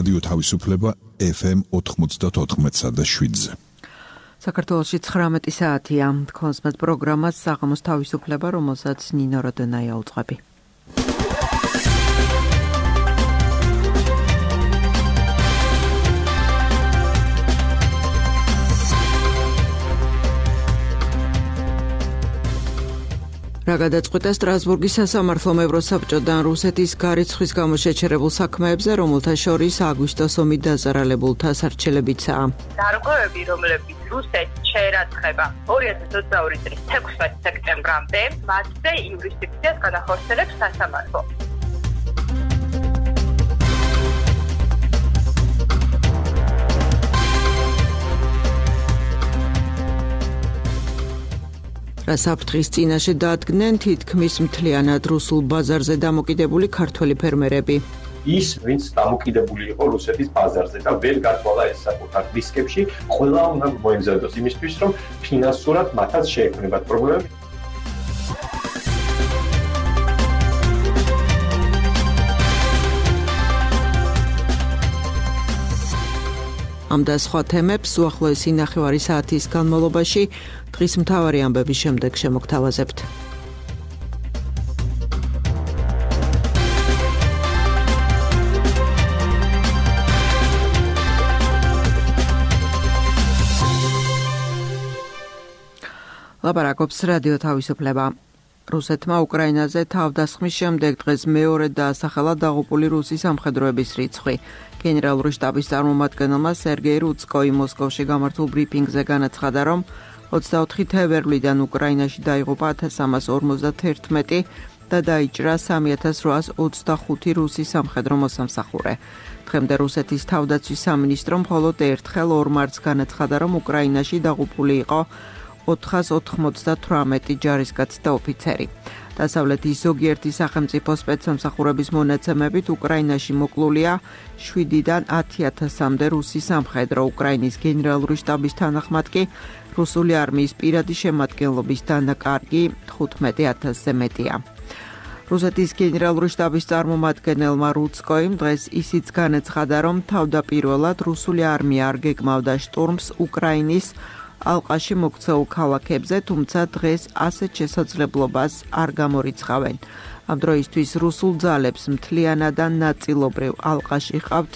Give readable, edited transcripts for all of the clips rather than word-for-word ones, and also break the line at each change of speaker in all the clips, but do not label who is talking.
რადიო თავისუფლება FM 94.7-ზე.
საქართველოში 19 საათია. Თქვენს პროგრამას საღამოს თავისუფლება, რომელსაც ნინო როდონაია უძღვები. რა გადაწყვეტა სტრასბურგის სასამართლომ ევროსაბჭოდან რუსეთის გარიცხვის გამო შეჩერებულ საქმეებზე, რომელთა შორის აგვისტოს ომით დაზარალებულთა სარჩელებიცაა.
დარღვევები, რომლებიც რუსეთს შეერაცხება 2022 წლის 16 სექტემბრამდე, მასზე იურისდიქციას განახორციელებს სასამართლო. რა საფრთხის წინაშე დადგნენ თითქმის მთლიანად რუსულ ბაზარზე დამოკიდებული ქართველი ფერმერები.
ის, ვინც დამოკიდებული იყო რუსეთის ბაზარზე და ვერ გათვალა ეს საკუთარ რისკებში, ყველა უნდა მოემზადოს იმისთვის, რომ ფინანსურად მათაც შეექმნებათ პრობლემები.
ამ და სხვა თემებს უახლოესი ნახევარი საათის განმავლობაში დღის მთავარი ამბების შემდეგ შემოგთავაზებთ. ლაპარაკობს რადიო თავისუფლება. რუსეთმა უკრაინაზე თავდასხმის შემდეგ დღეს მეორე დაასახელა დაღუპული რუსი სამხედროების რიცხვი. გენერალური შტაბის წარმომადგენელმა სერგეი რუცკოი მოსკოვში გამართულ ბრიფინგზე განაცხადა, რომ 24 თებერვლიდან უკრაინაში დაიღუპა 1351 და დაიჭრა 3825 რუსი სამხედრო მოსამსახურე. დღემდე რუსეთის თავდაცვის სამინისტრო მხოლოდ ერთხელ 2 მარტს განაცხადა, რომ უკრაინაში დაღუპული იყო 498 ჯარისკაცი და ოფიცერი. დასავლეთის ზოგიერთი სახელმწიფო სპეცსამსახურების მონაცემებით უკრაინაში მოკლულია 7-დან 10,000-მდე რუსი სამხედრო. უკრაინის გენერალური შტაბის თანახმად კი რუსული არმიის პირადი შემადგენლობის დანაკარგი 15,000-ზე მეტია. რუსეთის გენერალური შტაბის წარმომადგენელმა რუცკოიმ დღეს ისიც განაცხადა, რომ თავდაპირველად რუსული არმია არ გეგმავდა შტურმს უკრაინის ალყაში მოქცეულ ქალაქებზე, თუმცა დღეს ასეთ შესაძლებლობას არ გამორიცხავენ. ამ დროისთვის რუსულ ძალებს მთლიანად ან ნაწილობრივ ალყაში ჰყავთ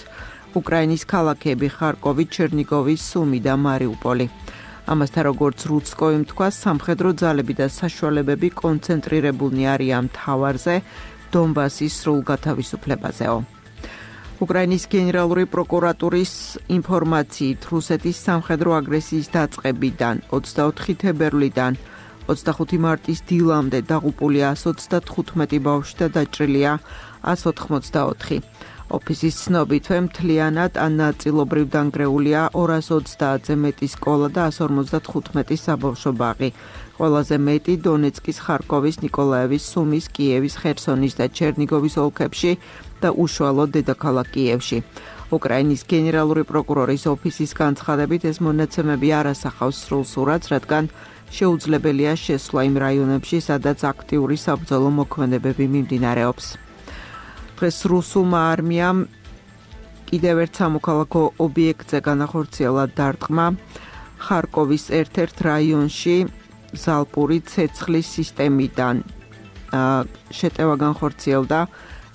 უკრაინის ქალაქები ხარკოვი, ჩერნიგოვი, სუმი და მარიუპოლი. ამასთან, როგორც რუცკოიმ თქვა, სამხედრო ძალები და საშუალებები კონცენტრირებულნი არიან მთავარზე, დონბასის სრულ გათავისუფლებაზეო. უკრაინის გენერალური პროკურატურის ინფორმაციით, რუსეთის სამხედრო აგრესიის დაწყებიდან 24 თებერვლიდან 25 მარტის დილამდე დაღუპულია 135 ბავშვი და დაჭრილია 184. ოფისის ცნობითვე მთლიანად ან ნაწილობრივ დანგრეულია 230-ზე მეტი სკოლა და 155 საბავშვო ბაღი. ყველაზე მეტი დონეცკის, ხარკოვის, ნიკოლაევის, სუმის, კიევის, ხერსონის და ჩერნიგოვის ოლქებში და უშუალოდ დედაქალაქ კიევში. უკრაინის გენერალური პროკურორის ოფისის განცხადებით, ეს მონაცემები არ ასახავს სრულ სურათს, რადგან შეუძლებელია შესვლა იმ რაიონებში, სადაც აქტიური საბრძოლო მოქმედებები მიმდინარეობს. დღეს რუსულმა არმიამ კიდევ ერთ სამოქალაქო ობიექტზე განახორციელა დარტყმა ხარკოვის ერთ-ერთ რაიონში ზალპური ცეცხლის სისტემიდან. შეტევა განხორციელდა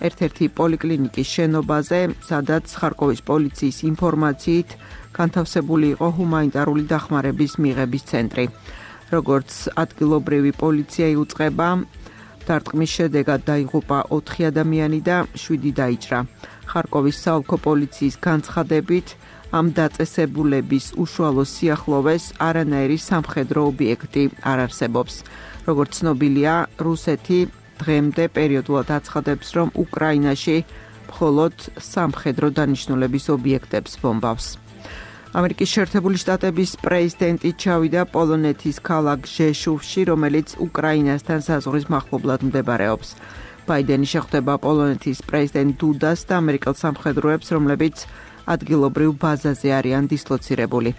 ერთ-ერთი პოლიკლინიკის შენობაზე, სადაც ხარკოვის პოლიციის ინფორმაციით განთავსებული იყო ჰუმანიტარული დახმარების მიღების ცენტრი. როგორც ადგილობრივი პოლიცია იუწყება, დარტყმის შედეგად დაიღუპა 4 ადამიანი და 7 დაიჭრა. ხარკოვის საოლქო პოლიციის განცხადებით, ამ დაწესებულების უშუალო სიახლოვეს არანაირი სამხედრო ობიექტი არ არსებობს. როგორც ცნობილია, რუსეთი დღემდე პერიოდულად აცხადებს, რომ უკრაინაში მხოლოდ სამხედრო დანიშნულების ობიექტებს ბომბავს. ამერიკის შეერთებული შტატების პრეზიდენტი ჩავიდა პოლონეთის ქალაქ ჟეშუვში, რომელიც უკრაინასთან საზღვრის მახლობლად მდებარეობს. ბაიდენი შეხვდება პოლონეთის პრეზიდენტ დუდას და ამერიკელ სამხედროებს, რომლებიც ადგილობრივ ბაზაზე არიან დისლოცირებული.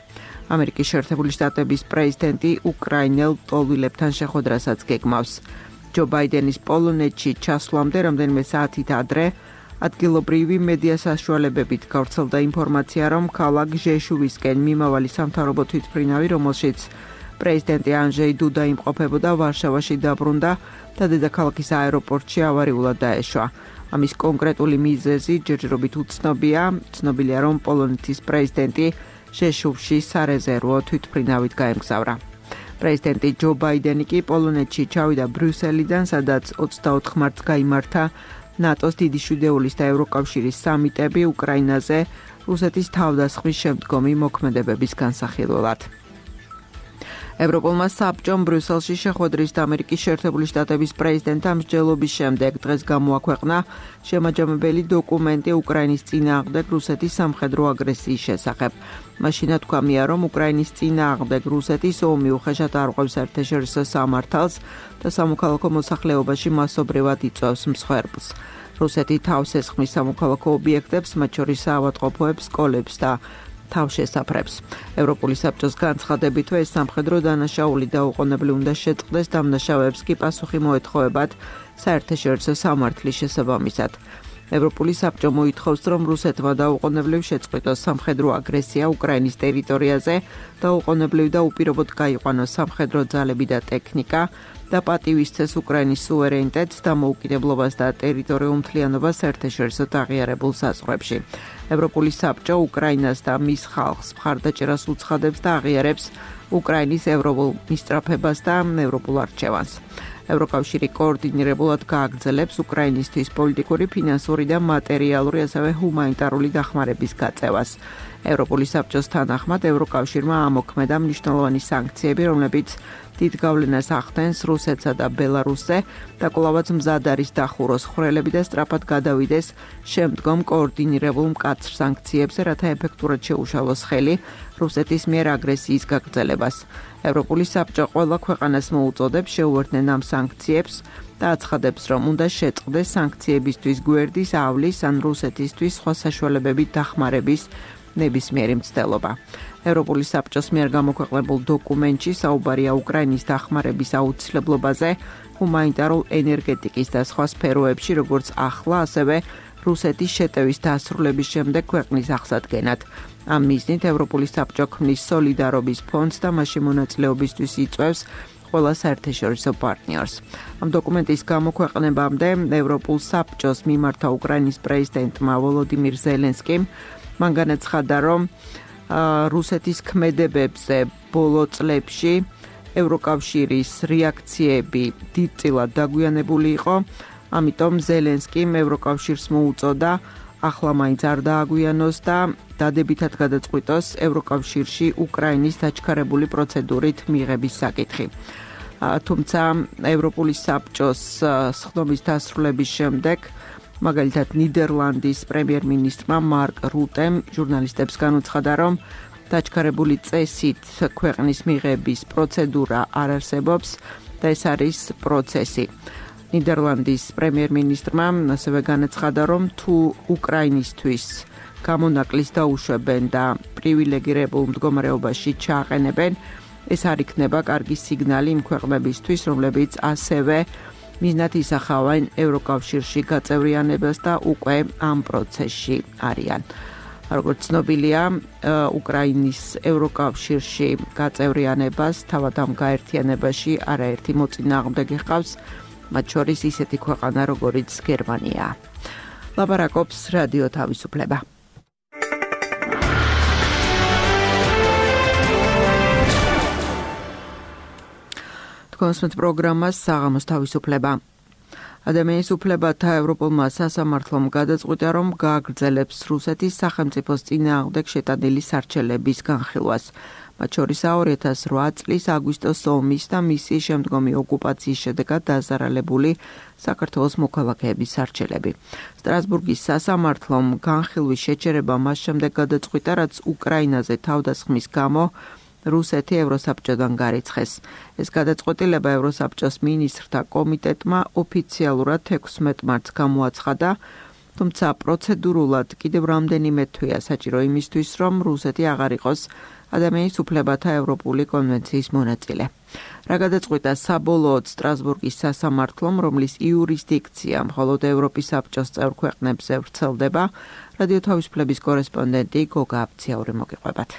ამერიკის შეერთებული შტატების პრეზიდენტი უკრაინელ ტოლვილებთან შეხვედრასაც გეგმავს. ჯო ბაიდენის პოლონეთში ჩასვლამდე რამდენიმე საათით ადრე ადგილობრივი მედია საშუალებებით გავრცელდა ინფორმაცია, რომ ქალაქ ჟეშუვისკენ მიმავალი სამთავრობო თვითმფრინავი, რომელშიც პრეზიდენტი ანჟეი დუდა იმყოფებოდა, ვარშავაში დაბრუნდა და დედაქალაქის აეროპორტში ავარიულად დაეშვა. ამის კონკრეტული მიზეზი ჯერჯერობით უცნობია. ცნობილია, რომ პოლონეთის პრეზიდენტი ჟეშუვში სარეზერვო თვითმფრინავით გაემგზავრა. პრეზიდენტი ჯო ბაიდენი კი პოლონეთში ჩავიდა ბრიუსელიდან, სადაც 24 მარტს გაიმართა ნატოს დიდი შვიდეულის და ევროკავშირის სამიტები უკრაინაზე რუსეთის თავდასხმის შემდგომი მოქმედებების განსახილველად. ევროპულმა საბჭომ ბრიუსელში შეხვედრის და ამერიკის შეერთებული შტატების პრეზიდენტთან მსჯელობის შემდეგ დღეს გამოაქვეყნა შემაჯამებელი დოკუმენტი უკრაინის წინააღმდეგ რუსეთის სამხედრო აგრესიის შესახებ. მაშინ თქვამია, რომ უკრაინის წინააღმდეგ რუსეთის ომი უხეშად არღვევს საერთაშორისო სამართალს და სამოქალაქო მოსახლეობაში მასობრივად იწვევს მსხვერპლს. რუსეთი თავს ესხმის სამოქალაქო ობიექტებს, მათ შორის საავადმყოფოებს, სკოლებს და თავშესაფრებს. ევროპული საბჭოს განცხადებითვე ეს სამხედრო დანაშაული დაუყოვნებლივ უნდა შეწყდეს, დამნაშავეებს კი პასუხი მოეთხოვებათ საერთაშორისო სამართლის შესაბამისად. ევროპული საბჭო მოითხოვს, რომ რუსეთმა დაუყოვნებლივ შეწყვიტოს სამხედრო აგრესია უკრაინის ტერიტორიაზე, დაუყოვნებლივ და უპირობოდ გაიყვანოს სამხედრო ძალები და ტექნიკა და პატივისცეს უკრაინის სუვერენიტეტს, დამოუკიდებლობას და ტერიტორიულ მთლიანობას საერთაშორისო აღიარებულ საზღვრებში. ევროპული საბჭო უკრაინას და მის ხალხს მხარდაჭერას უცხადებს და აღიარებს უკრაინის ევროპულ მისწრაფებას და ევროპულ არჩევანს. ევროკავშირი კოორდინირებულად გააგრძელებს უკრაინისთვის პოლიტიკური, ფინანსური და მატერიალური, ასევე ჰუმანიტარული დახმარების გაწევას. ევროპული საბჭოს თანახმად ევროკავშირმა ამოქმედა მნიშვნელოვანი სანქციები, რომლებიც დიდ გავლენას ახდენს რუსეთსა და ბელარუსზე და კვლავაც მზად არის დახუროს ხვრელები და სწრაფად გადავიდეს შემდგომ კოორდინირებულ მკაცრ სანქციებზე, რათა ეფექტურად შეუშალოს ხელი რუსეთის მიერ აგრესიის გაგრძელებას. ევროპული საბჭო ყველა ქვეყანას მოუწოდებს შეუერთდნენ ამ სანქციებს და აცხადებს, რომ უნდა შეწყდეს სანქციებისთვის გვერდის, ავლის ან რუსეთისთვის სხვა საშუალებებით დახმარების ნებისმიერი მცდელობა. ევროპული საბჭოს მიერ გამოქვეყნებულ დოკუმენტში საუბარია უკრაინის დახმარების აუცილებლობაზე ჰუმანიტარულ, ენერგეტიკის და სხვა სფეროებში, როგორც ახლა, ასევე რუსეთის შეტევის დასრულების შემდეგ ქვეყნის აღსადგენად. ამ მიზნით ევროპული საბჭო ქმნის სოლიდარობის ფონდს და მასში მონაწილეობისთვის იწვევს ყველა საერთაშორისო პარტნიორს. ამ დოკუმენტის გამოქვეყნებამდე ევროპულ საბჭოს მიმართა უკრაინის პრეზიდენტმა ვოლოდიმირ ზელენსკიმ მან განაცხადა, რომ რუსეთის ქმედებებზე ბოლო წლებში ევროკავშირის რეაქციები დიდწილად დაგვიანებული იყო, ამიტომ ზელენსკიმ ევროკავშირს მოუწოდა ახლა მაინც არ დააგვიანოს და დადებითად გადაწყვიტოს ევროკავშირში უკრაინის დაჩქარებული პროცედურით მიღების საკითხი. თუმცა ევროპული საბჭოს სხდომის დასრულების შემდეგ მაგალითად ნიდერლანდის პრემიერ-მინისტრმა მარკ რუტემ ჟურნალისტებს განუცხადა, რომ დაჩქარებული წესით ქვეყნის მიღების პროცედურა არ არსებობს და ეს არის პროცესი. ნიდერლანდის პრემიერ-მინისტრმა ასევე განაცხადა, რომ თუ უკრაინისთვის გამონაკლის დაუშვებენ და პრივილეგირებულ მდგომარეობაში ჩააყენებენ, ეს არ იქნება კარგი სიგნალი იმ ქვეყნებისთვის, რომლებიც ასევე მიზნად ისახავენ ევროკავშირში გაწევრიანებას და უკვე ამ პროცესში არიან. როგორც ცნობილია, უკრაინის ევროკავშირში გაწევრიანებას თავად ამ გაერთიანებაში არაერთი მოწინააღმდეგე ჰყავს, მათ შორის ისეთი ქვეყანა, როგორიც გერმანია. ლაპარაკობს რადიო თავისუფლება. კონსმეთ პროგრამას საღამოს თავისუფლება. ადამიანის უფლებათა ევროპულმა სასამართლომ გადაწყვიტა, რომ გააგრძელებს რუსეთის სახელმწიფოს წინააღმდეგ შეტანილი სარჩელების განხილვას. მათ შორისაა 2008 წლის აგვისტოს ომის და მისი შემდგომი ოკუპაციის შედეგად დაზარალებული საქართველოს მოქალაქეების სარჩელები. სტრასბურგის სასამართლომ განხილვის შეჩერება მას შემდეგ გადაწყვიტა, რაც უკრაინაზე თავდასხმის გამო რუსეთი ევროსაბჭოდან გარიცხეს. ეს გადაწყვეტილება ევროსაბჭოს მინისტრთა კომიტეტმა ოფიციალურად 16 მარტს გამოაცხადა. თუმცა პროცედურულად კიდევ რამდენიმე თვეა საჭირო იმისთვის, რომ რუსეთი აღარ იყოს ადამიანის უფლებათა ევროპული კონვენციის მონაწილე. რა გადაწყვიტა საბოლოოდ სტრასბურგის სასამართლომ, რომლის იურისდიქცია მხოლოდ ევროპის საბჭოს წევრ ქვეყნებზე ვრცელდება, რადიო თავისუფლების კორესპონდენტი გოგა აბციაური მოგიყვებათ.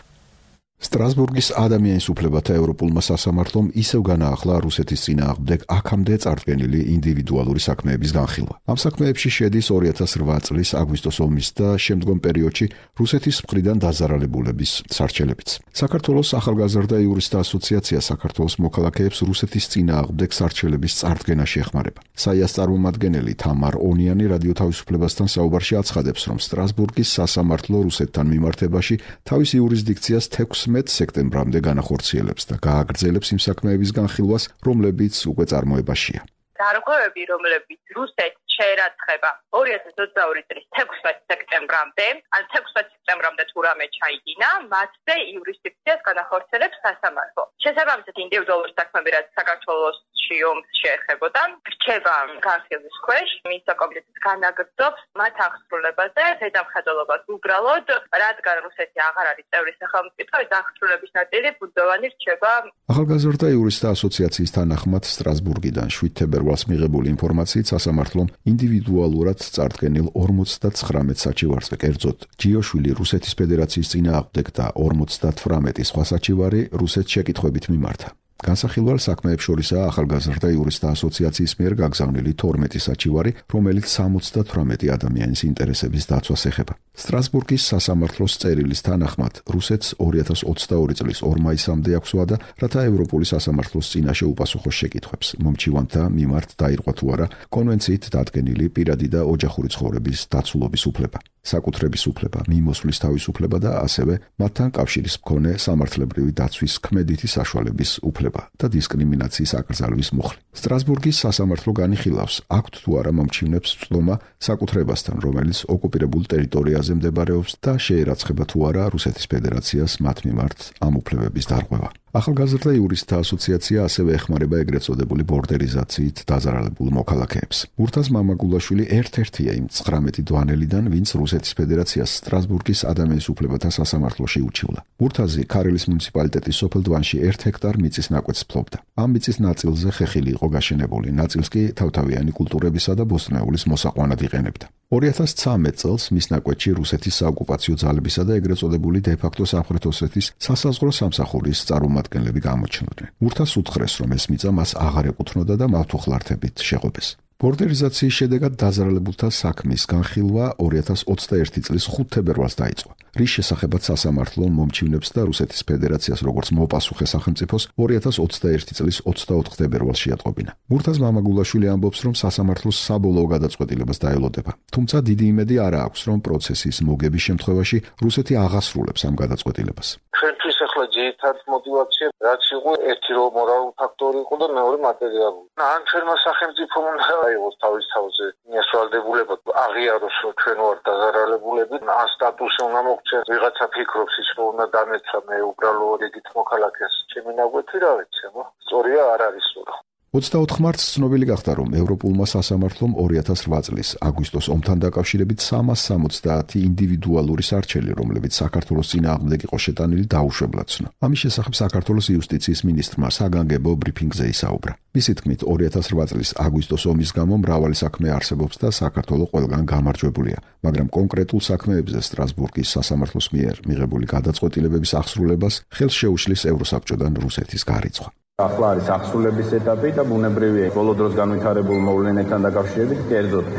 სტრასბურგის ადამიანის უფლებათა ევროპულმა სასამართლომ ისევ განაახლა რუსეთის წინააღმდეგ აქამდე წარდგენილი ინდივიდუალური საქმეების განხილვა. ამ საქმეებში შედის 2008 წლის აგვისტოს ომის და შემდგომ პერიოდში რუსეთის მხრიდან დაზარალებულების სარჩელებიც. საქართველოს ახალგაზრდა იურისტთა ასოციაცია საქართველოს მოქალაქეებს რუსეთის წინააღმდეგ სარჩელების წარდგენაში ეხმარება. საიას წარმომადგენელი თამარ ონიანი რადიო თავისუფლებასთან საუბარში აცხადებს, რომ სტრასბურგის სასამართლო რუსეთთან მიმართებაში თავის იურისდიქციას 16 სექტემბრამდე განახორციელებს და გააგრძელებს იმ საქმეების განხილვას, რომლებიც უკვე წარმოებაშია.
დარღვევები, რომლებიც რუსეთს შეერაცხება 2022 წლის 16 სექტემბრამდე, ან 16 სექტემბრამდე თუ რამე ჩაიდინა, მათზე იურისდიქციას განახორციელებს სასამართლო. შესაბამისად, ინდივიდუალური საქმეები, რაც საქართველოსში ომს შეეხებოდა, რჩება განხილვის ქვეშ, მინისტრთა კომიტეტის განაგრძობს მათ აღსრულებაზე ზედამხედველობას უბრალოდ, რადგან რუსეთი აღარ არის წევრი სახელმწიფო, ეს აღსრულების ნაწილი ბუნდოვანი რჩება.
ახალგაზრდა იურისტთა ასოციაციის თანახმად სტრასბურგიდან 7 თებერვალს მიღებული ინფორმაციით სასამართლომ ინდივიდუალურად წარდგენილ 59 საჩივარზე, კერძოდ ჯიოშვილი რუსეთის ფედერაციის წინააღმდეგ და 58 სხვა საჩივარი რუსეთს შეკითხვებით მიმართა. განსახილვალ საქმეებს შორისაა ახალგაზრდა იურისტთა ასოციაციის მიერ გაგზავნილი 12 საჩივარი, რომელიც 78 ადამიანის ინტერესების დაცვას ეხება. სტრასბურგის სასამართლოს წერილის თანახმად რუსეთს 2022 წლის 2 მაისამდე აქვს ვადა, რათა ევროპული სასამართლოს წინაშე უპასუხოს შეკითხვებს. მომჩივანთა მიმართ დაირღვა თუ არა კონვენციით დადგენილი პირადი და ოჯახური ცხოვრების დაცულობის უფლება, საკუთრების უფლება, მიმოსვლის თავისუფლება და ასევე მათთან კავშირის მქონე სამართლებრივი დაცვის ქმედითი საშუალების უფლება და დისკრიმინაციის აკრძალვის მუხლი. სტრასბურგის სასამართლო განიხილავს, აქვთ თუ არა მომჩივნებს წვდომა საკუთრებასთან, რომელიც ოკუპირებულ ტერიტორიაზე მდებარეობს და შეერაცხება თუ არა რუსეთის ფედერაციას მათ მიმართ ამ უფლებების დარღვევა. ახალგაზრდა იურისტთა ასოციაცია ასევე ეხმარება ეგრეთ წოდებული ბორდერიზაციით დაზარალებულ მოქალაქეებს. მურთაზ მამაგულაშვილი ერთ-ერთია იმ 19 დვანელიდან, ვინც რუსეთის ფედერაციას სტრასბურგის ადამიანის უფლებათა სასამართლოში უჩივლა. მურთაზი ქარელის მუნიციპალიტეტის სოფელ დვანში 1 ჰექტარ მიწის ნაკვეთს ფლობდა. ამ მიწის ნაწილზე ხეხილი იყო გაშენებული, ნაწილს კი თავთავიანი კულტურებისა და ბოსტნეულის მოსაყვანად იყენებდა. 2013 წელს მის ნაკვეთში რუსეთის საოკუპაციო ძალებისა და ეგრეთ წოდებული დე-ფაქტო სამხრეთ ოსეთის სასაზღვრო სამსახურის წარმომადგენლები გამოჩნდნენ. მურთაზ უთხრეს, რომ ეს მიწა მას აღარ ეკუთვნოდა და მავთუხლართებით შეღობეს. ბორდერიზაციის შედეგად დაზარალებულთა საქმის განხილვა 2021 წლის 5 თებერვალს დაიწყო. რის შესახებაც სასამართლო მომჩივნებს და რუსეთის ფედერაციას როგორც მოპასუხე სახელმწიფოს 2021 წლის 24 თებერვალს შეატყობინა. მურთაზ მამაგულაშვილი ამბობს, რომ სასამართლოს საბოლოო გადაწყვეტილებას დაელოდება. თუმცა დიდი იმედი არ აქვს, რომ პროცესის მოგების შემთხვევაში რუსეთი აღასრულებს ამ გადაწყვეტილებას.
ჩვენთვის ახლა ძირითად мотивация რაც იყო ერთი რომ მორალური ფაქტორი იყო და მეორე მატერიალური. ან ჩვენმა სახელმწიფომ უნდა აიღოს თავის თავზე მიასვალდებულება აღიაროს რომ ჩვენ ვართ დაზარალებულები, ან სტატუსი უნდა მოგცეს, ვიღაცა ფიქრობს ის რომ უნდა დამეცა მე უბრალოდ ეგით მოქალაქეს ჩემი ნაკვეთი რა ვიცი, სწორია არ არის სულ.
24 მარტს ცნობილი გახდა, რომ ევროპულმა სასამართლომ 2008 წლის აგვისტოს ომთან დაკავშირებით 370 ინდივიდუალური სარჩელი, რომლებიც საქართველოს წინააღმდეგ იყო შეტანილი, დაუშვებლად ცნო. ამის შესახებ საქართველოს იუსტიციის მინისტრმა საგანგებო ბრიფინგზე ისაუბრა. მისი თქმით, 2008 წლის აგვისტოს ომის გამო მრავალი საქმე არსებობს და საქართველოს ყველგან გამარჯვებულია, მაგრამ კონკრეტულ საქმეებზე სტრასბურგის სასამართლოს მიერ მიღებული გადაწყვეტილებების აღსრულებას ხელს შეუშლის ევროსაბჭოდან რუსეთის გარიცხვა.
ახლა არის აღსრულების ეტაპი და ბუნებრივია ბოლო დროს განვითარებულ მოვლენებთან დაკავშირებით კერძოდ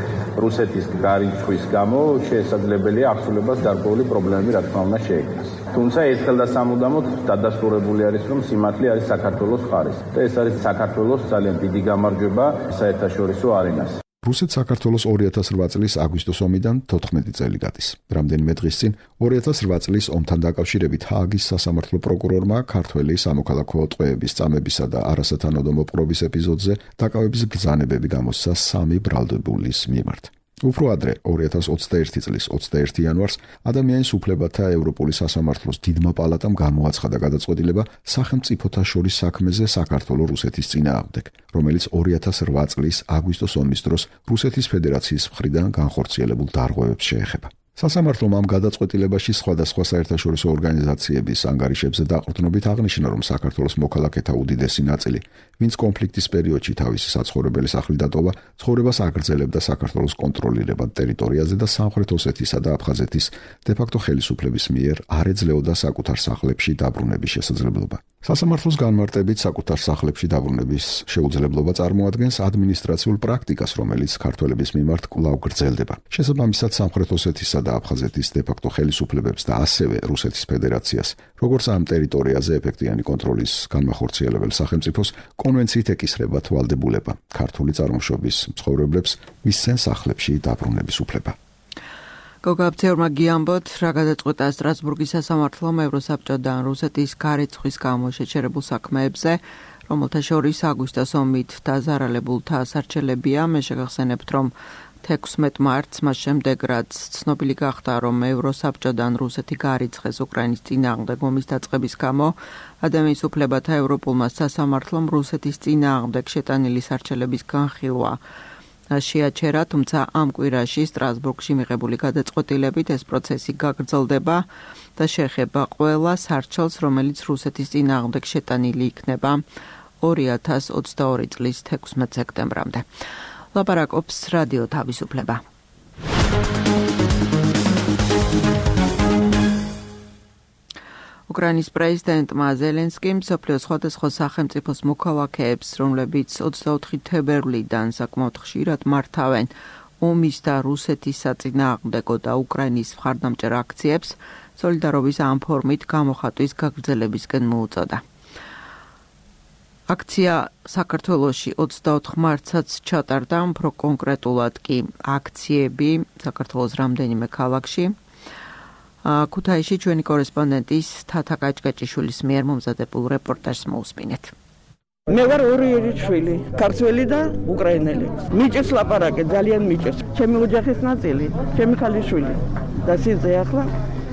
რუსეთის გარიცხვის გამო შესაძლებელია აღსრულებას გარკვეული პრობლემები რა თქმა უნდა შეექმნას. თუმცა ერთხელ და სამუდამოდ დადასტურებული არის რომ სიმართლე არის საქართველოს მხარეს და ეს არის საქართველოს ძალიან დიდი გამარჯვება საერთაშორისო არენაზე.
რუსეთს საქართველოს 2008 წლის აგვისტოს ომიდან 14 წელი გადის. რამდენიმე დღის წინ 2008 წლის ომთან დაკავშირებით ჰააგის სასამართლო პროკურორმა ქართველი სამოქალაქო ტყვეების წამებისა და არასათანადო მოპყრობის ეპიზოდზე დაკავების ბრძანებები გამოსცა 3 ბრალდებულის მიმართ. უფრო ადრე 2021 წლის 21 იანვარს ადამიანის უფლებათა ევროპული სასამართლოს დიდმა პალატამ გამოაცხადა გადაწყვეტილება სახელმწიფოთა შორის საქმეზე საქართველო-რუსეთის წინააღმდეგ, რომელიც 2008 წლის აგვისტოს ომის დროს რუსეთის ფედერაციის მხრიდან განხორციელებულ დარღვევებს შეეხება. სასამართლომ ამ გადაწყვეტილებაში სხვადასხვა საერთაშორისო ორგანიზაციების ანგარიშებზე დაყრდნობით აღნიშნა, რომ საქართველოს მოქალაქეთა უდიდესი ნაწილი, ვინც კონფლიქტის პერიოდში თავისი საცხოვრებელი სახლი დატოვა, ცხოვრებას აგრძელებდა საქართველოს კონტროლირებად ტერიტორიაზე და სამხრეთ ოსეთისა და აფხაზეთის დე-ფაქტო ხელისუფლების მიერ არ ეძლეოდა საკუთარ სახლებში დაბრუნების შესაძლებლობა. სასამართლოს განმარტებით საკუთარ სახლებში დაბრუნების შეუძლებლობა წარმოადგენს ადმინისტრაციულ პრაქტიკას, რომელიც ქართველების მიმართ კვლავ გრძელდება. შესაბამისად, სამხრეთ ოსეთისა და აფხაზეთის დე-ფაქტო ხელისუფლებებს და ასევე რუსეთის ფედერაციას, როგორც ამ ტერიტორიაზე ეფექტიანი კონტროლის განმახორციელებელ სახელმწიფოს კონვენციით ეკისრება თვალდებულება ქართული წარმოშობის მცხოვრებლებს მისცენ სახლებში დაბრუნების უფლება.
გოგაბცეურმა გიამბოთ, რა გადაწყვეტა სტრასბურგის სასამართლომ ევროსაბჭოდან რუსეთის გარეცხვის გამო შეჩერებულ საქმეებზე, რომელთა შორის აგვისტოს ომით დაზარალებულთა ასარჩელებია. მე შეგახსენებთ, რომ 16 მარტს მას შემდეგ, რაც ცნობილი გახდა, რომ ევროსაბჭოდან რუსეთი გარიცხეს უკრაინის წინააღმდეგ ომის დაწყების გამო, ადამიანის უფლებათა ევროპულმა სასამართლომ რუსეთის წინააღმდეგ შეტანილი სარჩელების განხილვა შეაჩერა, თუმცა ამ კვირაში სტრასბურგში მიღებული გადაწყვეტილებით ეს პროცესი გაგრძელდება და შეეხება ყველა სარჩელს, რომელიც რუსეთის წინააღმდეგ შეტანილი იქნება 2022 წლის 16 სექტემბრამდე. ლაპარაკობს რადიო თავისუფლება. უკრაინის პრეზიდენტმა ზელენსკიმ მსოფლიოს სხვადასხვა სახელმწიფოს მოქალაქეებს, რომლებიც 24 თებერვლიდან საკმაოდ ხშირად მართავენ ომის და რუსეთის საწინააღმდეგო და უკრაინის მხარდამჭერ აქციებს, სოლიდარობის ამ ფორმით გამოხატვის გაგრძელებისკენ მოუწოდა. აქცია საქართველოში 24 მარტსაც ჩატარდა, უფრო კონკრეტულად კი აქციები საქართველოს რამდენიმე ქალაქში. ქუთაისში ჩვენი კორესპონდენტის თათა კაჭკაჭიშვილის მიერ მომზადებულ რეპორტაჟს მოусმინეთ.
მე ვარ ორი შვილი, ქართველი და უკრაინელი. მიჭირს ლაპარაკე, ძალიან მიჭირს. ჩემი ოჯახის ნაწილი, ჩემი ქალიშვილი და სიძე ახლა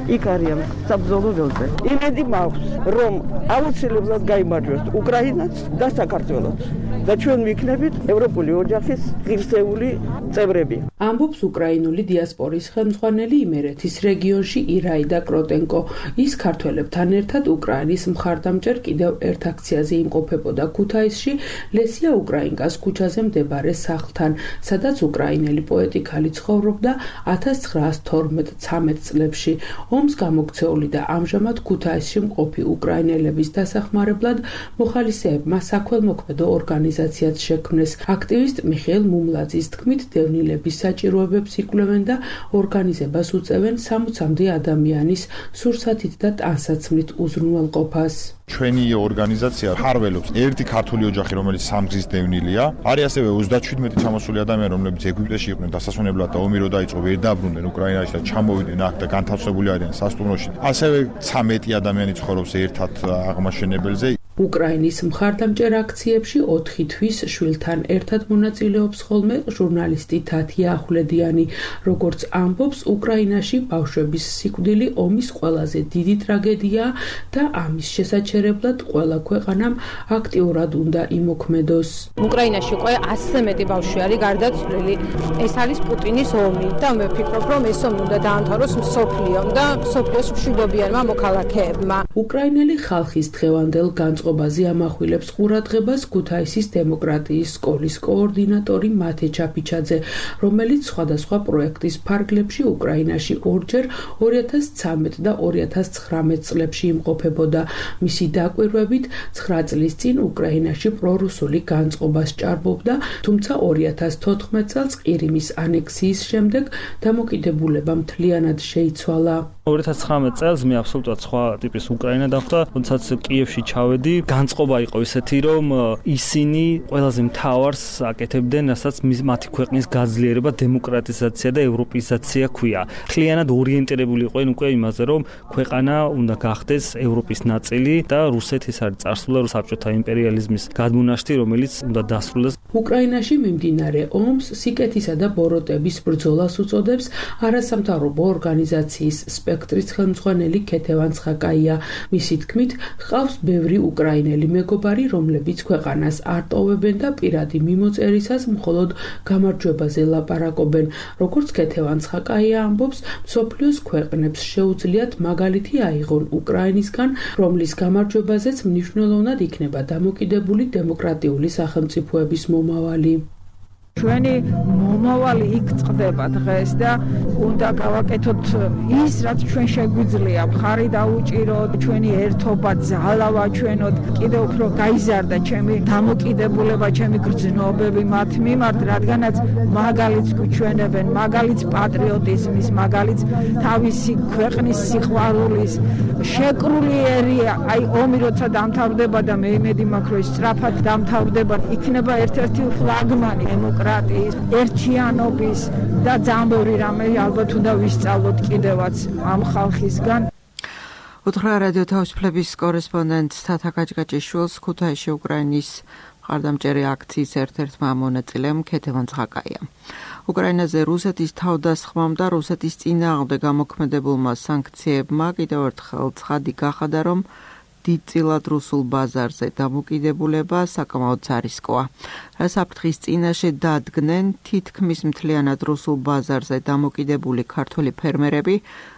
იქ არიან საბრძოლო ველზე. იმედი მაქვს, რომ აუცილებლად გაიმარჯვებს უკრაინაც და საქართველოც და ჩვენ ვიქნებით ევროპული ოჯახის ღირსეული წევრები.
ამბობს უკრაინული დიასპორის ხელმძღვანელი იმერეთის რეგიონში ირაიდა კროტენკო. ის ქართველებთან ერთად უკრაინის მხარდამჭერ კიდევ ერთ აქციაზე იმყოფებოდა ქუთაისში, ლესია უკრაინკას ქუჩაზე მდებარე სახლთან, სადაც უკრაინელი პოეტი ქალი ცხოვრობდა 1912-13 წლებში. ომს გამოქცეული და ამჟამად ქუთაისში მყოფი უკრაინელების დასახმარებლად მოხალისეებმა საქველმოქმედო ორგანიზაციაც შექმნეს. აქტივისტ მიხეილ მუმლაძის თქმით, დევნილების საჭიროებებს იკვლევენ და ორგანიზებას უწევენ 60-მდე ადამიანის სურსათით და ტანსაცმლით უზრუნველყოფას.
ჩვენი ორგანიზაცია ფარველობს ერთი ქართული ოჯახი, რომელიც სამგზის დევნილია. არის ასევე 37 ჩამოსული ადამიანი, რომლებიც ეგვიპტეში იყვნენ დასასვენებლად და ომი რო დაიწყო, ვერ დაბრუნდნენ უკრაინაში და ჩამოვიდნენ აქ და განთავსებული არიან სასტუმროში. ასევე 13 ადამიანი ცხოვრობს ერთად აღმაშენებელზე.
უკრაინის მხარდამჭერ აქციებში 4 თვის შვილთან ერთად მონაწილეობს ხოლმე ჟურნალისტი თათია ახვლედიანი. როგორც ამბობს, უკრაინაში ბავშვების სიკვდილი ომის ყველაზე დიდი ტრაგედიაა და ამის შესაჩერებლად ყველა ქვეყანამ აქტიურად უნდა იმოქმედოს.
უკრაინაში უკვე 100-ზე მეტი ბავშვი არის გარდაცვლილი. ეს არის პუტინის ომი და მე ვფიქრობ, რომ ეს ომი უნდა დაამთავროს მსოფლიომ და მსოფლიოს მშვიდობიანმა მოქალაქეებმა.
უკრაინელი ხალხის დღევანდელ განწყობაზე ამახვილებს ყურადღებას ქუთაისის დემოკრატიის სკოლის კოორდინატორი მათე ჩაფიჩაძე, რომელიც სხვადასხვა პროექტის ფარგლებში უკრაინაში ორჯერ 2013 და 2019 წლებში იმყოფებოდა. მისი დაკვირვებით 9 წლის წინ უკრაინაში პრორუსული განწყობას ჭარბობდა, თუმცა 2014 წელს ყირიმის ანექსიის შემდეგ დამოკიდებულება მთლიანად შეიცვალა.
2019 წელს მე აბსოლუტურად სხვა ტიპის უკრაინა დახვდა, როდესაც კიევში ჩავედი, განწყობა იყო ისეთი, რომ ისინი ყველაზე მთავარს აკეთებდნენ, რასაც მათი ქვეყნის გაძლიერება, დემოკრატიზაცია და ევროპიზაცია ქვია. მთლიანად ორიენტირებული იყვნენ უკვე იმაზე, რომ ქვეყანა უნდა გახდეს ევროპის ნაწილი და რუსეთის არის წარსულა საბჭოთა იმპერიალიზმის გადმონაშთი, რომელიც უნდა დასრულდეს.
უკრაინაში მიმდინარე ომს სიკეთისა და ბოროტების ბრძოლას უწოდებს არასამთავრობო ორგანიზაციის სპექტრის ხელმძღვანელი ქეთევან ცხაკაია. მისი თქმით, ჰყავს ბევრი უკრაინელი მეგობარი, რომლებიც ქვეყანას არ ტოვებენ და პირადი მიმოწერისას მხოლოდ გამარჯვებაზე ლაპარაკობენ. როგორც ქეთევან ცხაკაია ამბობს, მსოფლიოს ქვეყნებს შეუძლიათ მაგალითი აიღონ უკრაინისგან, რომლის გამარჯვებაზეც მნიშვნელოვნად იქნება დამოკიდებული დემოკრატიული სახელმწიფოების მომავალი.
ჩვენი მომავალი იქ წყდება დღეს და უნდა გავაკეთოთ ის, რაც ჩვენ შეგვიძლია, მხარი დაუჭიროთ, ჩვენი ერთობა ძალა ვაჩვენოთ, კიდევ უფრო გაიზარდა ჩემი დამოკიდებულება, ჩემი გრძნობები მათ მიმართ, რადგანაც მაგალითს გვჩვენებენ, მაგალითს პატრიოტიზმის, მაგალითს თავისი ქვეყნის სიყვარულის, შეკრულიერია, აი ომი როცა დამთავრდება და მე იმედი მაქვს, რომ სწრაფად დამთავრდება, იქნება ერთ-ერთი ფლაგმანი დემოკრატიის, ერთიანობის და ძალიან ბევრი რამე ალბათ უნდა ვისწავლოთ კიდევაც ამ ხალხისგან.
უთხრა რადიო თავისუფლების კორესპონდენტ თათა გაჭგაჭიშვილს ქუთაისში უკრაინის მხარდამჭერი აქციის ერთ-ერთმა მონაწილემ ქეთევან ცხაკაიამ. უკრაინაზე რუსეთის თავდასხმამ და რუსეთის წინააღმდეგ გამოქმედებულმა სანქციებმა კიდევ ერთხელ ცხადი გახადა, რომ დიდწილად რუსულ ბაზარზე დამოკიდებულება საკმაოდ რისკოა. რა საფრთხის წინაშე დადგნენ თითქმის მთლიანად რუსულ ბაზარზე დამოკიდებული ქართველი ფერმერები,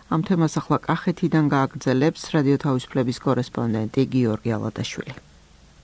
ამ თემას ახლა კახეთიდან გააგრძელებს რადიო თავისუფლების კორესპონდენტი გიორგი ალადაშვილი.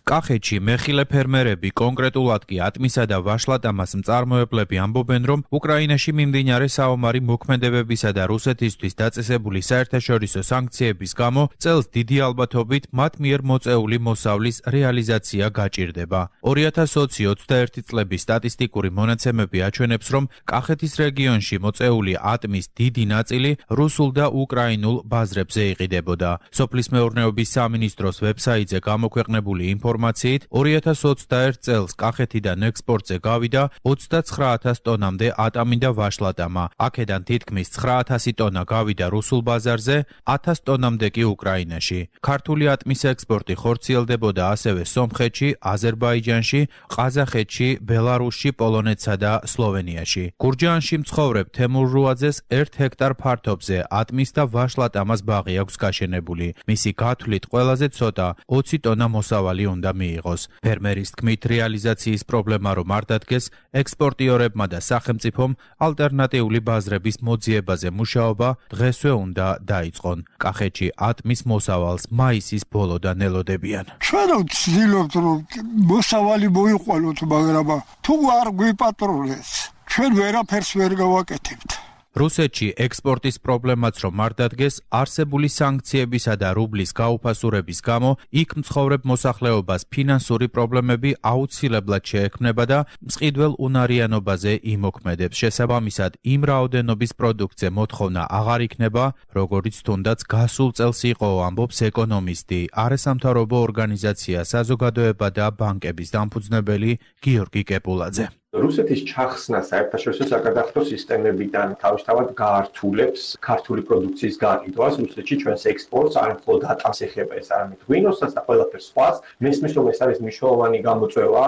კახეთში მეხილე ფერმერები, კონკრეტულად კი ატმისა და ვაშლატამას მწარმოებლები ამბობენ, რომ უკრაინაში მიმდინარე საომარი მოქმედებებისა და რუსეთისთვის დაწესებული საერთაშორისო სანქციების გამო წელს დიდი ალბათობით მათ მიერ მოწეული მოსავლის რეალიზაცია გაჭირდება. 2020-21 წლების სტატისტიკური მონაცემები აჩვენებს, რომ კახეთის რეგიონში მოწეული ატმის დიდი ნაწილი რუსულ და უკრაინულ ბაზრებზე იყიდებოდა. სოფლის მეურნეობის სამინისტროს ვებსაიტზე გამოქვეყნებული ინფორმაციით 2021 წელს კახეთიდან ექსპორტზე გავიდა 29,000 ტონამდე ატამი და ვაშლატამა. აქედან თითქმის 9,000 ტონა გავიდა რუსულ ბაზარზე, 1000 ტონამდე კი უკრაინაში. ქართული ატმის ექსპორტი ხორციელდებოდა ასევე სომხეთში, აზერბაიჯანში, ყაზახეთში, ბელარუსში, პოლონეთსა და სლოვენიაში. გურჯაანში მცხოვრებ თემურ რუაძეს 1 ჰექტარ ფართობზე ატმის და ვაშლატამას ბაღი აქვს გაშენებული. მისი გათვლით ყველაზე ცოტა 20 ტონა მოსავალი უნდა მიიღოს. ფერმერის თქმით, რეალიზაციის პრობლემა რომ არ დადგეს, ექსპორტიორებმა და სახელმწიფომ ალტერნატიული ბაზრების მოძიებაზე მუშაობა დღესვე უნდა დაიწყონ. კახეთში ატმის მოსავალს მაისის ბოლოდან ელოდებიან.
ჩვენ ვცდილობთ რომ მოსავალი მოიყვანოთ, მაგრამ თუ არ გვიპატრონეს, ჩვენ ვერაფერს ვერ გავაკეთებთ.
რუსეთში ექსპორტის პრობლემაც რომ არ დადგეს, არსებული სანქციებისა და რუბლის გაუფასურების გამო იქ მცხოვრებ მოსახლეობას ფინანსური პრობლემები აუცილებლად შეექმნება და მწყიდველ უნარიანობაზე იმოქმედებს. შესაბამისად, იმ რაოდენობის პროდუქტზე მოთხოვნა აღარ იქნება, როგორც თუნდაც გასულ წელს იყო, ამბობს ეკონომისტი, არასამთავრობო ორგანიზაცია საზოგადოება და ბანკების დამფუძნებელი გიორგი კეპულაძე.
რუსეთის ჩახსნა საერთაშორისო საკადასტრო სისტემებიდან თავისთავად გაართულებს ქართული პროდუქციის გაყიდვას რუსეთში ჩვენს ექსპორტს, არ მხოლოდ ატამს ეხება ეს, არამედ ღვინოსაც და ყველაფერ სხვას. მესმის რომ ეს არის მნიშვნელოვანი გამოწვევა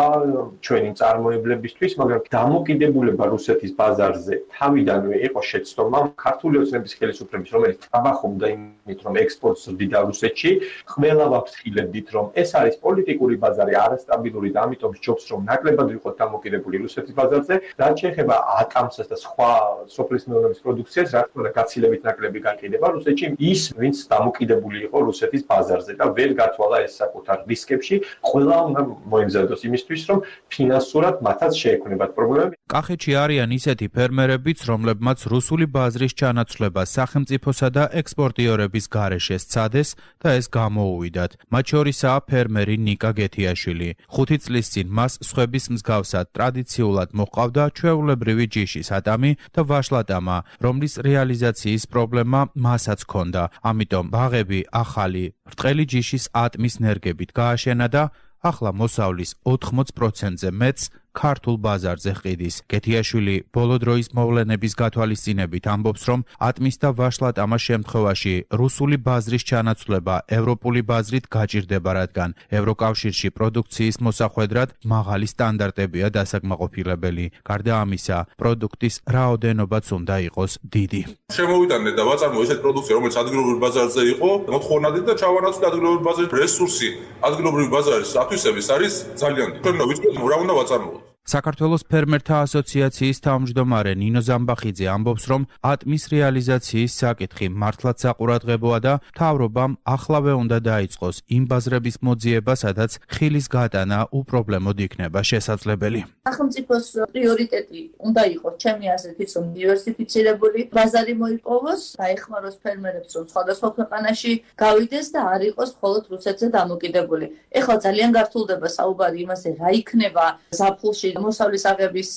ჩვენი მწარმოებლებისთვის, მაგრამ დამოკიდებულება რუსეთის ბაზარზე თავიდანვე იყო შეცდომა ქართული ოცნების ხელისუფლების, რომელიც ტრაბახობდა იმით, რომ ექსპორტს ზრდიდა რუსეთში. ყველა ვაფრთხილებდით, რომ ეს არის პოლიტიკური ბაზარი, არასტაბილური და ამიტომ ჯობს რომ ნაკლებად ვიყოთ დამოკიდებული რუსეთის ბაზარზე, რაც შეეხება ატამსას და სხვა სოფლის მეურნეობის პროდუქციას, რა თქმა უნდა, გაცილებით ნაკლები გაიყიდება რუსეთში ის, ვინც დამოკიდებული იყო რუსეთის ბაზარზე და ვერ გათვალა ეს საკუთარ რისკებში, ყველა უნდა მოემზადოს იმისთვის, რომ ფინანსურად მათაც შეექმნებათ პრობლემები.
კახეთში არიან ისეთი ფერმერებიც, რომლებმაც რუსული ბაზრის ჩანაცვლება სახელმწიფოსა და ექსპორტიორების გარეშე სცადეს და ეს გამოუვიდათ. მათ შორისაა ფერმერი ნიკა გეთიაშვილი. 5 წლის წინ მას სხვების მსგავსად ტრადიციული ადგილობრივად მოყავდა ჩვეულებრივი ჯიშის ატამი და ვაშლატამა, რომლის რეალიზაციის პრობლემა მასაც ჰქონდა. ამიტომ ბაღები ახალი ბრტყელი ჯიშის ატმის ნერგებით გააშენა და ახლა მოსავლის 80%-ზე მეტს ქართულ ბაზარზე ყიდის. გეთიაშვილი ბოლო დროის მოვლენების გათვალისწინებით ამბობს, რომ ატმის და ვაშლატამას შემთხვევაში რუსული ბაზრის ჩანაცვლება ევროპული ბაზრით გაჭირდება, რადგან ევროკავშირში პროდუქციის მოსახვედრად მაღალი სტანდარტებია დასაკმაყოფილებელი. გარდა ამისა, პროდუქტის რაოდენობაც უნდა იყოს დიდი.
შემოვიტანეთ და ვაწარმოეთ ესეთ პროდუქცია, რომელიც ადგილობრივ ბაზარზე იყო, მოთხოვნადით და ჩავანაცვლეთ ადგილობრივ ბაზრის რესურსი. ადგილობრივი ბაზარის ათვისების არის ძალიან დიდი. ჩვენ უნდა ვიცოდეთ, რა უნდა ვაწარმოოთ.
საქართველოს ფერმერთა ასოციაციის თავმჯდომარე ნინო ზამბახიძე ამბობს, რომ ატმის რეალიზაციის საკითხი მართლაც საყურადღებოა და მთავრობამ ახლავე უნდა დაიწყოს იმ ბაზრების მოძიება, სადაც ხილის გატანა უპრობლემოდ იქნება შესაძლებელი.
სახელმწიფოს პრიორიტეტი უნდა იყოს, ჩემი აზრით, ის რომ დივერსიფიცირებული ბაზარი მოიპოვოს, დაეხმაროს ფერმერებს, რომ სხვადასხვა ქვეყანაში გავიდეს და არ იყოს მხოლოდ რუსეთზე დამოკიდებული. ეხლა ძალიან გართულდება საუბარი იმაზე, რა იქნება ზაფხულში მოსავლის აღების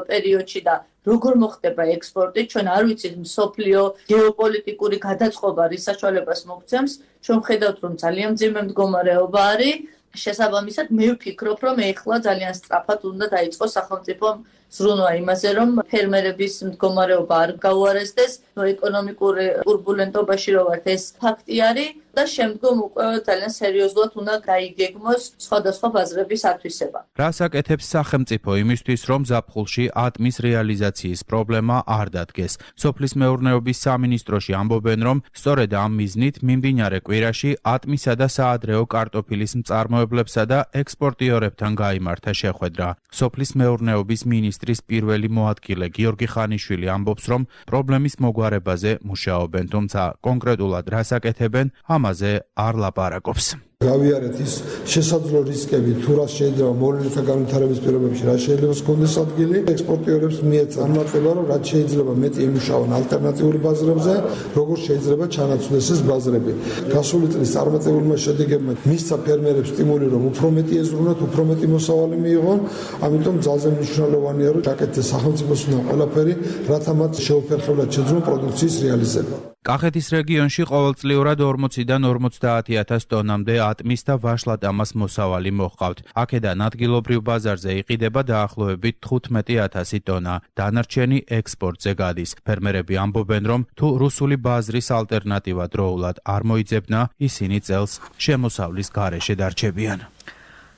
პერიოდში და როგორ მოხდება ექსპორტი. ჩვენ არ ვიცით მსოფლიო გეოპოლიტიკური გადაწყობა რის საშუალებას მოგცემს. ჩვენ ხედავთ, რომ ძალიან მძიმე მდგომარეობა არის. შესაბამისად, მე ვფიქრობ, რომ ეხლა ძალიან სწრაფად უნდა დაიწყოს სახელმწიფო ზრუნვა იმაზე, რომ ფერმერების მდგომარეობა არ გაუარესდეს, ეკონომიკურ ტურბულენტობაში რო ვართ, ეს ფაქტი არის და შემდგომ უკვე ძალიან სერიოზულად უნდა გაიგეგმოს სხვადასხვა ბაზრების ათვისება.
რას აკეთებს სახელმწიფო იმისთვის, რომ ზაფხულში ატმის რეალიზაციის პრობლემა არ დადგეს? სოფლის მეურნეობის სამინისტროში ამბობენ, რომ სწორედ ამ მიზნით მიმდინარე კვირაში ატმისა და საადრეო კარტოფილის მწარმოებლებსა და ექსპორტიორებთან გაიმართა შეხვედრა. სოფლის მეურნეობის მინისტრის პირველი მოადგილე გიორგი ხანიშვილი ამბობს, რომ პრობლემის მოგვარებაზე მუშაობენ, თუმცა კონკრეტულად რას აკეთებენ, ამაზე არ ლაპარაკობს.
გავიარეთ ის შესაძლო რისკები, თუ რა შეიძლება მოვლენათა განვითარების პირობებში, რა შეიძლება გქონდეს ადგილი, ექსპორტიორებს მიეცა ამარტება, რომ რაც შეიძლება მეტი იმუშაონ ალტერნატიული ბაზრებზე, როგორ შეიძლება ჩანაცვლეს ეს ბაზრები. გასული წლის წარმატებულმა შედეგებმა მისცა ფერმერებს სტიმული, რომ უფრო მეტი ეზრუნათ, უფრო მეტი მოსავალი მიიღონ, ამიტომ ძალზე მნიშვნელოვანია, რომ გაკეთდეს სახელმწიფოს უნდა ყველაფერი, რათა მათ შეუფერხებლად შეძლონ პროდუქციის რეალიზება.
კახეთის რეგიონში ყოველწლიურად 40-დან 50,000 ტონამდე ატმის და ვაშლატამას მოსავალი მოჰყავთ. აქედან ადგილობრივ ბაზარზე იყიდება დაახლოებით 15,000 ტონა. დანარჩენი ექსპორტზე გადის. ფერმერები ამბობენ, რომ თუ რუსული ბაზრის ალტერნატივა დროულად არ მოიძებნა, ისინი წელს შემოსავლის გარეშე დარჩებიან.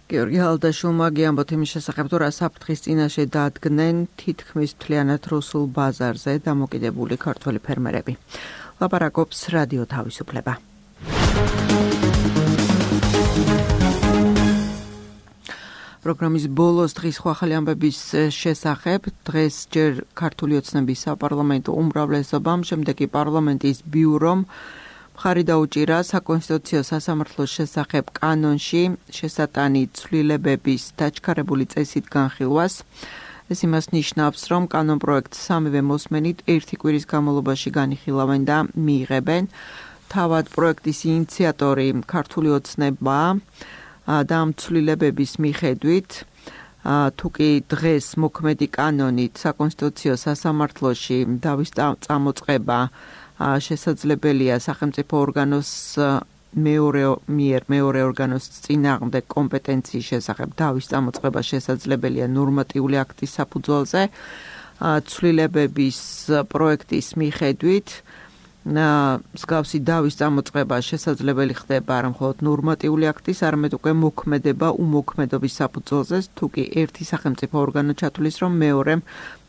გიორგი ალდაშულმა გიამბოთ იმის შესახებ, თუ რა საფრთხის წინაშე დადგნენ თითქმის მთლიანად რუსულ ბაზარზე დამოკიდებული ქართველი ფერმერები. ლაპარაკობს რადიო თავისუფლება. პროგრამის ბოლოს დღის ახალი ამბების შესახებ. დღეს ჯერ ქართული ოცნების საპარლამენტო უმრავლესობამ, შემდეგ კი პარლამენტის ბიურომ მხარი დაუჭირა საკონსტიტუციო სასამართლოს შესახებ კანონში შესატანი ცვლილებების დაჩქარებული წესით განხილვას. ეს იმას ნიშნავს, რომ კანონპროექტს სამივე მოსმენით ერთი კვირის განმავლობაში განიხილავენ და მიიღებენ. თავად პროექტის ინიციატორი ქართული ოცნებაა და ამ ცვლილებების მიხედვით, თუ კი დღეს მოქმედი კანონით საკონსტიტუციო სასამართლოში დავის წამოწყება შესაძლებელია სახელმწიფო ორგანოს მეორე ორგანოს წინააღმდეგ კომპეტენციის შესახებ დავის წამოწყება შესაძლებელია ნორმატიული აქტის საფუძველზე. ცვლილებების პროექტის მიხედვით მსგავსი დავის წამოწყება შესაძლებელი ხდება არა მხოლოდ ნორმატიული აქტის, არამედ უკვე მოქმედება უმოქმედობის საფუძველზე, თუ კი ერთი სახელმწიფო ორგანო ჩათვლის, რომ მეორემ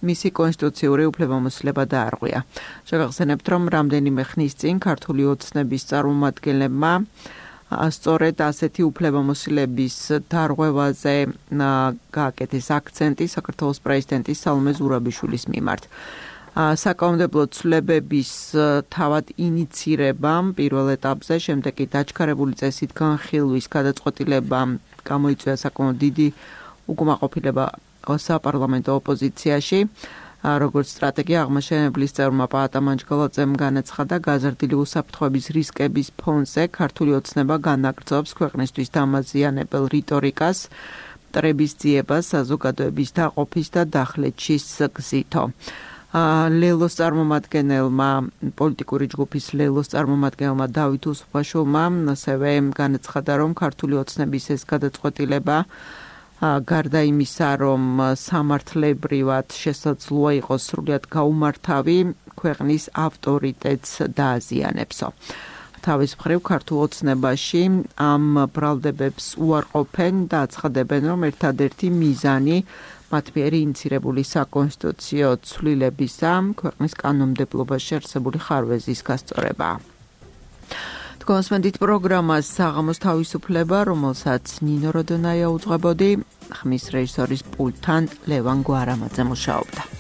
მისი კონსტიტუციური უფლებამოსილება დაარღვია. შეგახსენებთ, რომ რამდენიმე ხნის წინ ქართული ოცნების წარმომადგენლებმა სწორედ ასეთი უფლებამოსილების დარღვევაზე გააკეთეს აქცენტი საქართველოს პრეზიდენტის სალომე ზურაბიშვილის მიმართ. საკანონმდებლო ცვლილებების თავად ინიცირებამ პირველ ეტაპზე, შემდეგ კი დაჩქარებული წესით განხილვის გადაწყვეტილებამ გამოიწვია საკმაოდ დიდი უკმაყოფილება საპარლამენტო ოპოზიციაში. როგორც სტრატეგია აღმაშენებლის წევრმა პაატა მანჯგალაძემ განაცხადა, გაზრდილი უსაფრთხოების რისკების ფონზე ქართული ოცნება განაგრძობს ქვეყნისთვის დამაზიანებელ რიტორიკას მტრების ძიებას საზოგადოების დაყოფის და დახლეჩის გზითო. ლელოს წარმომადგენელმა პოლიტიკური ჯგუფის ლელოს წარმომადგენელმა დავით უსუფაშვილმა ასევე განაცხადა, რომ ქართული ოცნების ეს გადაწყვეტილება გარდა იმისა, რომ სამართლებრივად შესაძლოა იყოს სრულიად გაუმართავი, ქვეყნის ავტორიტეტს დააზიანებსო. თავის მხრივ ქართულ ოცნებაში ამ ბრალდებებს უარყოფენ და აცხადებენ, რომ ერთადერთი მიზანი მათ მიერ ინიცირებული საკონსტიტუციო ცვლილებისა ქვეყნის კანონმდებლობაში არსებული ხარვეზის გასწორებაა. კონსმენდით პროგრამას საღამოს თავისუფლება, რომელსაც ნინო როდონაია უძღვებოდი, ხმის რეჟისორის პულტთან ლევან გვარამაძე მუშაობდა.